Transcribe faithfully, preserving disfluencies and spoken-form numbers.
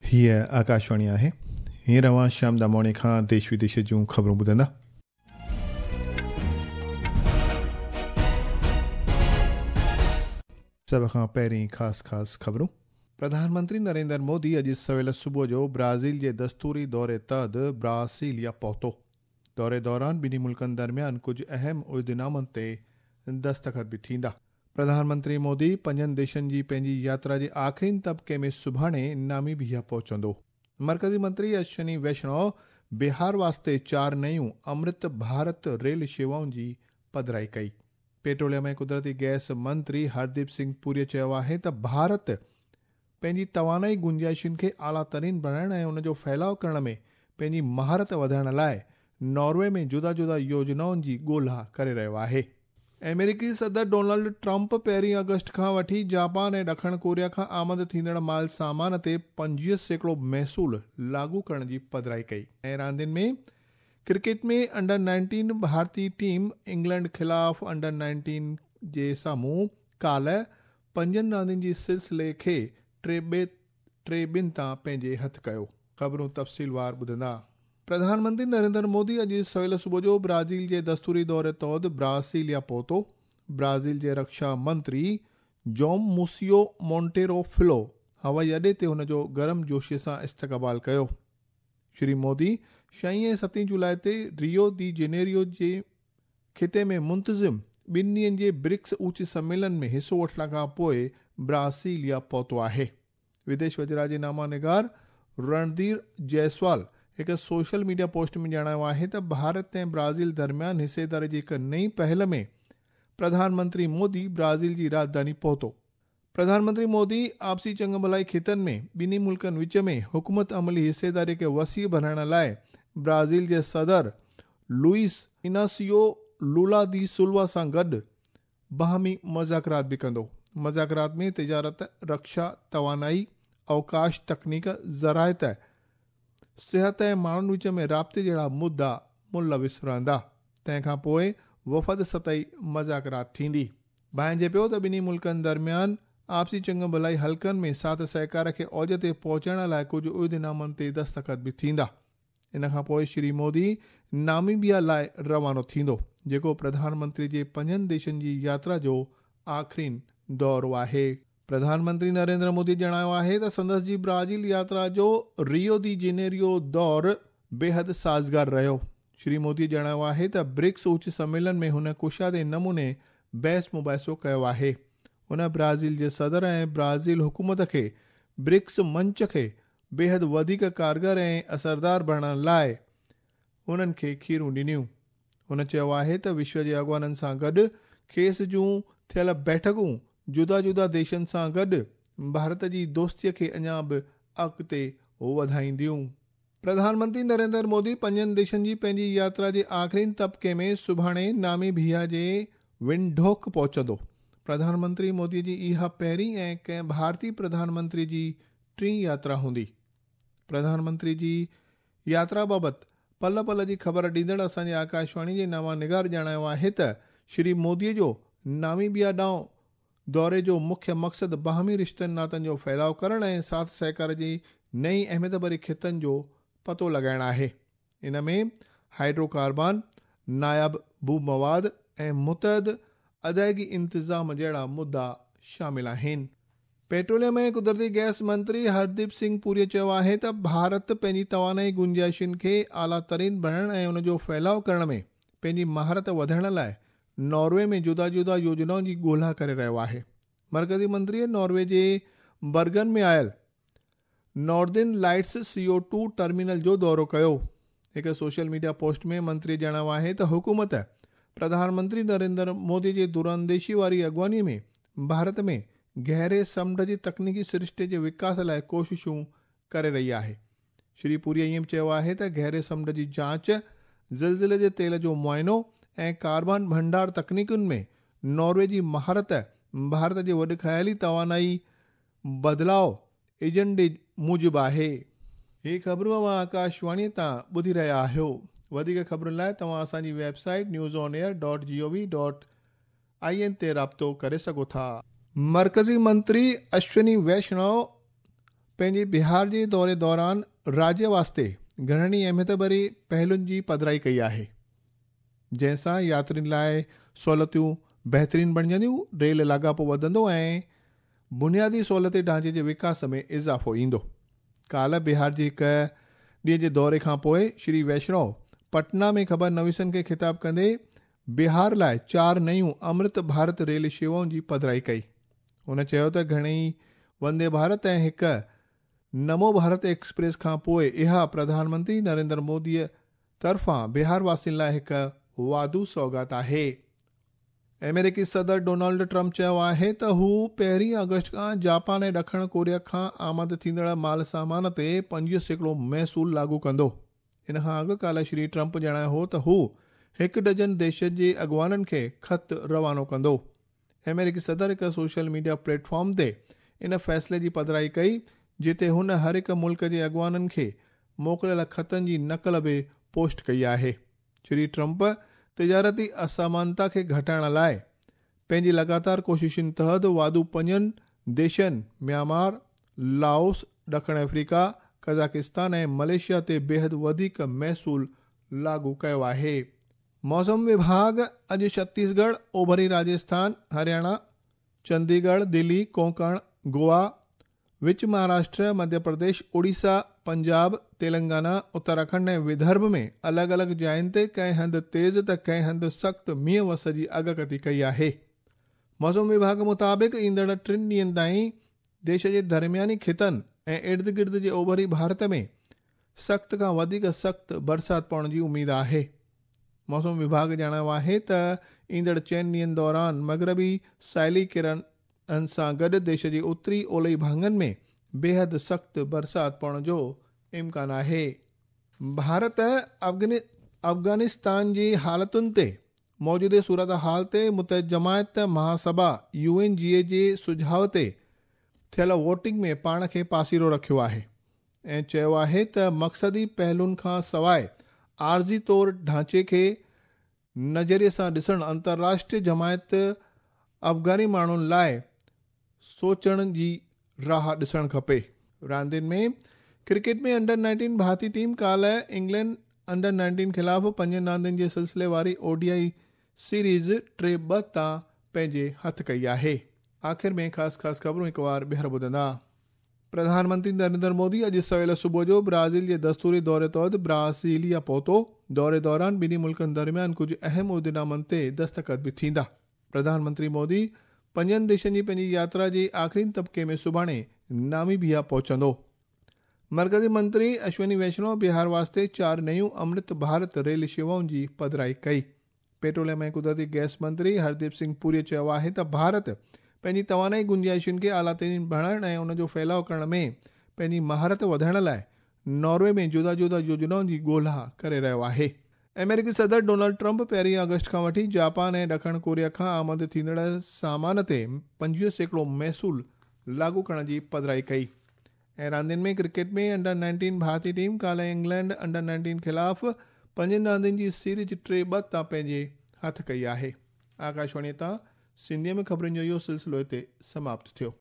हीअ आकाशवाणी आहे। हींअर अव्हां श्याम दामोणी खां देश विदेश जूं ख़बरूं ॿुधंदा। सभ खां पहिरीं ख़ासि ख़ासि ख़बरूं। प्रधानमंत्री नरेंद्र मोदी अॼु सवेल सुबुह जो ब्राज़ील जे दस्तूरी दौरे तहत ब्रासीलिया पहुतो। दौरे दौरान ॿिन्ही मुल्कनि दरमियान कुझु अहम उहिदनामनि ते दस्तख़त बि थींदा। प्रधानमंत्री मोदी पंजनि देशनि जी पंहिंजी यात्रा जे आख़िरीन तबिके में सुभाणे नामीबिया पहुचंदो। मरकज़ी मंत्री अश्विनी वैष्णव बिहार वास्ते चार नयूं अमृत भारत रेल शेवाउनि जी पधराई कई। पेट्रोलियम ऐं कुदरती गैस मंत्री हरदीप सिंह पुरीअ चयो आहे त भारत पंहिंजी तवानाई गुंजाइशुनि खे आला तरीन बणाइण ऐं उनजो फैलाव करण में पंहिंजी महारत वधाइण लाइ नॉर्वे में जुदा जुदा योजनाउनि जी ॻोल्हा करे रहियो आहे। अमेरिकी सदर डोनाल्ड ट्रंप पहिरीं अगस्त खां वठी जापान ऐं ॾखण कोरिया खां आमद थींदड़ माल सामान ते पंजवीह सैकड़ो महसूल लागू करण जी पधराई कई। ऐं रांदियुनि में क्रिकेट में अंडर नाइनटीन भारतीय टीम इंग्लैंड ख़िलाफ़ अंडर नाइनटीन जे साम्हूं काल्ह पंजनि रांदियुनि जी सिलसिले खे टे ॿ टे ॿिनि तां पंहिंजे हथु कयो। ख़बरूं तफ़सीलवार ॿुधंदा। प्रधानमंत्री नरेंद्र मोदी अॼु सवेल सुबुह जो ब्राज़ील जे दस्तूरी दौरे तहत ब्रासीलिया पहुतो। ब्राज़ील जे रक्षा मंत्री जोम मूसियो मोंटेरो फिलो हवाई अॾे ते हुनजो गरम जोशी सां इस्तक़बाल कयो। श्री मोदी छहीं ऐं सतें जुलाई ते रियो दी जेनेरियो जे ख़िते में मुंतज़िम ॿिनि ॾींहनि जे ब्रिक्स उच्च सम्मेलन में हिसो वठण खां पोइ ब्रासीलिया पहुतो आहे। विदेश वज़ीरा जे नामा निगार रणधीर जायसवाल हिकु सोशल मीडिया पोस्ट में ॼाणायो आहे त भारत ऐं ब्राज़ील दरमियान हिसेदारी जी हिकु नई पहल में प्रधानमंत्री मोदी ब्राज़ील जी राजधानी पहुतो। प्रधानमंत्री मोदी आपसी चंग भलाई ख़ितनि में ॿिन्ही मुल्कनि विच में हुकूमत अमली हिसेदारी खे वसी बणाइण लाइ ब्राज़ील जे सदर लुइस इनासियो लूला दी सिल्वा सां गॾु बाहमी मुज़ाकरात बि कंदो। मुज़ाकरात में तिजारत, रक्षा, तवानाई, अवकाश, तकनीक, ज़राइत, सिहत ऐं माण्हुनि विच में राब्ते जहिड़ा मुद्दा मुलविस रहंदा। तंहिंखां पोइ वफ़द सतही मुज़ाकरात थींदी। भांइजे पियो त ॿिन्ही मुल्कनि दरमियान आपसी चंग भलाई हल्कनि में साथ सहकार खे औज ते पहुचाइण लाइ कुझु उहिदनामनि ते दस्तख़त बि थींदा। इन खां पोइ श्री मोदी नामीबिया लाइ रवानो थींदो, जेको प्रधानमंत्री जे पंजनि देशनि जी यात्रा जो आख़िरीन दौरो आहे। प्रधानमंत्री नरेंद्र मोदी ॼाणायो आहे त संदसि जी ब्राज़ील यात्रा जो रियो दी जेनेरियो दौर बेहद साज़गार रहियो। श्री मोदी ॼाणायो आहे त ब्रिक्स उच्च सम्मेलन में हुन कुशादे नमूने बहस मुबाहिसो कयो आहे। हुन ब्राज़ील जे सदर ऐं ब्राज़ील हुकूमत खे ब्रिक्स मंच खे बेहद वधीक कारगर ऐं असरदार बणाइण लाइ उन्हनि खे खीरूं ॾिनियूं। हुन चयो आहे त विश्व जे अॻुवाननि सां गॾु खेसि जूं थियल बैठकूं जुदा जुदा देशनि सां गॾु भारत जी दोस्तीअ खे अञा बि अॻिते वधाईंदियूं। प्रधानमंत्री नरेंद्र मोदी पंजनि देशनि जी पंहिंजी यात्रा जे आख़िरीन तबिके में सुभाणे नामीबिया जे विंडोक पहुचंदो। प्रधानमंत्री मोदी जी इहा पहिरीं ऐं कंहिं भारतीय प्रधानमंत्री जी टीं यात्रा हूंदी। प्रधानमंत्री जी यात्रा बाबति पल पल जी ख़बर ॾींदड़ असांजे आकाशवाणी जे नामा निगार ॼाणायो आहे त श्री मोदीअ जो नामीबिया ॾांहुं दौरे जो मुख्य मक़सदु बाहमी रिश्तनि नातनि जो फैलाव करणु ऐं साथ सहकार जी नई अहमियत भरी ख़ितनि जो पतो लॻाइणु आहे। इन में हाइड्रोकार्बन, नायाब भू मवाद ऐं मुतअद अदायगी इंतज़ाम जहिड़ा मुद्दा शामिल आहिनि। पेट्रोलियम ऐं कुदरती गैस मंत्री हरदीप सिंह पुरीअ चयो आहे त भारत पंहिंजी तवानाई गुंजाइशुनि खे आला तरीन बणाइण ऐं उनजो फैलाव करण में पंहिंजी महारत वधाइण लाइ नॉर्वे में जुदा जुदा योजनाउनि जी ॻोल्हा करे रहियो आहे। मरकज़ी मंत्रीअ नॉर्वे जे बर्गन में आयल Northern Lights C O two terminal जो दौरो कयो। हिकु सोशल मीडिया पोस्ट में मंत्री ॼाणायो आहे त हुकूमत प्रधानमंत्री नरेंद्र मोदी जे दूरंदेशी वारी अॻुवानीअ में भारत में गहरे समुंड जी तकनीकी सृष्टि जे विकास लाइ कोशिशूं करे रही आहे। श्री पुरीअ ईअं बि चयो आहे त गहरे समुंड जी जांच, ज़िलज़िले जे तेल जो मुआइनो ऐं कार्बन भंडार तकनीकुनि में नॉर्वे जी महारत भारत जे वॾे ख़याली तवानाई बदिलाव एजेंडे मूजिबि आहे। ही ख़बरूं अव्हां आकाशवाणीअ तां ॿुधी रहिया आहियो। वधीक ख़बरुनि लाइ तव्हां असांजी website news on air dot G O V dot I N ते राब्तो करे सघो था। मरकज़ी मंत्री अश्विनी वैष्णव पंहिंजे बिहार जे दौरे दौरान राज्य वास्ते घणनि अहमियत भरी पहलुनि जी पधराई कई आहे, जंहिंसां यात्रियुनि लाइ सहूलियतूं बहितरीन बणिजंदियूं, रेल लाॻापो वधंदो ऐं बुनियादी सहूलियती ढांचे जे विकास में इज़ाफ़ो ईंदो। काल्ह बिहार जे हिकु ॾींहं जे दौरे खां पोइ श्री वैष्णव पटना में ख़बर नवीसनि खे ख़िताब कंदे बिहार लाइ चारि नयूं अमृत भारत रेल शेवाउनि जी पधराई कई। हुन चयो त घणेई वंदे भारत ऐं हिकु नमो भारत एक्सप्रेस खां पोइ इहा प्रधानमंत्री नरेंद्र मोदीअ तरफ़ां बिहार वासियुनि लाइ हिकु वाधू सौगात आहे। अमेरिकी सदर डोनाल्ड ट्रंप चयो आहे त हू पहिरीं अगस्त खां जापान ऐं ॾखण कोरिया खां आमद थींदड़ माल सामान ते पंजवीह सैकड़ो महसूल लागू कंदो। इन खां अॻु काल्ह श्री ट्रंप ॼाणायो हो त हू हिकु डजन देशनि जे अॻवाननि खे ख़त रवानो कंदो। अमेरिकी सदर हिकु सोशल मीडिया प्लेटफॉर्म ते इन फ़ैसिले जी पधराई कई, जिते हुन हर हिकु मुल्क जे अॻवाननि खे मोकिलियल ख़तनि जी नक़ल बि पोस्ट कई आहे। श्री ट्रंप तिजारती असमानता खे घटाइण लाइ पंहिंजी लगातार कोशिशुनि तहत वाधू पंजनि देशनि म्यांमार, लाओस, ॾखण अफ्रीका, कज़ाकिस्तान ऐं मलेशिया ते बेहद वधीक महसूल लागू कयो आहे। मौसम विभाग अॼु छत्तीसगढ़, ओभरी राजस्थान, हरियाणा, चंडीगढ़, दिल्ली, कोंकण, गोवा, विच महाराष्ट्र, मध्य प्रदेश, उड़ीसा, पंजाब, तेलंगाना, उत्तराखंड ऐं विदर्भ में अलॻि अलॻि जायुनि ते कंहिं हंधि तेज़ त कंहिं हंधि सख़्तु मींहुं वस जी अॻकथी कई आहे। मौसम विभाग मुताबिक़ ईंदड़ टिनि ॾींहंनि ताईं देश जे दरमियानी ख़ितनि ऐं इर्द गिर्द जे ओभरी भारत में सख़्त खां वधीक सख़्तु बरसाति पवण जी उमेद आहे। मौसम विभाग ॼाणायो आहे त ईंदड़ चइनि ॾींहंनि दौरान मग़रबी साहिली किरणनि सां गॾु देश जे उत्तरी ओलही भाङनि में बेहद सख़्तु बरसाति पवण जो इम्कान आहे। भारत अफ़गानि अफ़गानिस्तान जी हालतुनि ते मौजूदा सूरत हाल ते मुतहद जमायत महासभा you N जी ए जे सुझाव ते थियल वोटिंग में पाण खे पासीरो रखियो आहे ऐं चयो आहे त मक़सदी पहलुनि खां सवाइ आर्ज़ी तौर ढांचे खे नज़रिए सां ॾिसण अंतर्राष्ट्रीय जमायत अफ़गानी माण्हुनि लाइ सोचण जी राह ॾिसण खपे। रांदियुनि में क्रिकेट में अंडर नाइनटीन भारतीय टीम काल्ह इंग्लैंड अंडर नाइनटीन ख़िलाफ़ पंजनि रांदियुनि जे सिलसिले वारी ओडीआई सीरीज़ टे ॿ तां पंहिंजे हथु कई आहे। आख़िर में ख़ासि ख़ासि ख़बरूं हिकु वार ॿीहर ॿुधंदा। प्रधानमंत्री नरेंद्र मोदी अॼु सवेल सुबुह जो ब्राज़ील जे दस्तूरी दौरे तहत ब्रासीलिया पहुतो। दौरे दौरान ॿिन्ही मुल्कनि दरमियान कुझु अहम उहिदेनामनि ते दस्तख़त बि थींदा। प्रधानमंत्री मोदी पंजनि देशनि जी पंहिंजी यात्रा जे आख़िरी तबिके में सुभाणे नामीबिया पहुचंदो। मरकज़ी मंत्री अश्विनी वैष्णव बिहार वास्ते चारि नयूं अमृत भारत रेल शेवाउनि जी पधराई कई। पेट्रोलियम ऐं कुदरती गैस मंत्री हरदीप सिंह पुरी चयो आहे त भारत पंहिंजी तवानाई गुंजाइशुनि खे आला तरीन बणाइण ऐं उन जो फैलाव करण में पंहिंजी महारत वधाइण लाइ नॉर्वे में जुदा जुदा योजनाउनि जी ॻोल्हा करे रहियो आहे। अमेरिकी सदर डोनाल्ड ट्रंप पहिरीं अगस्त खां वठी जापान ऐं ॾखण कोरिया खां आमद थींदड़ सामान ते पंजवीह सैकड़ो महसूल लागू करण जी पधराई कई। ऐं रांदियुनि में क्रिकेट में अंडर नाइनटीन भारतीय टीम काल्ह इंग्लैंड अंडर नाइनटीन ख़िलाफ़ पंजनि रांदियुनि जी सीरीज़ टे ॿ तां पंहिंजे हथु कई आहे। आकाशवाणीअ तां सिंधीअ में ख़बरुनि जो इहो सिलसिलो हिते समाप्त थियो।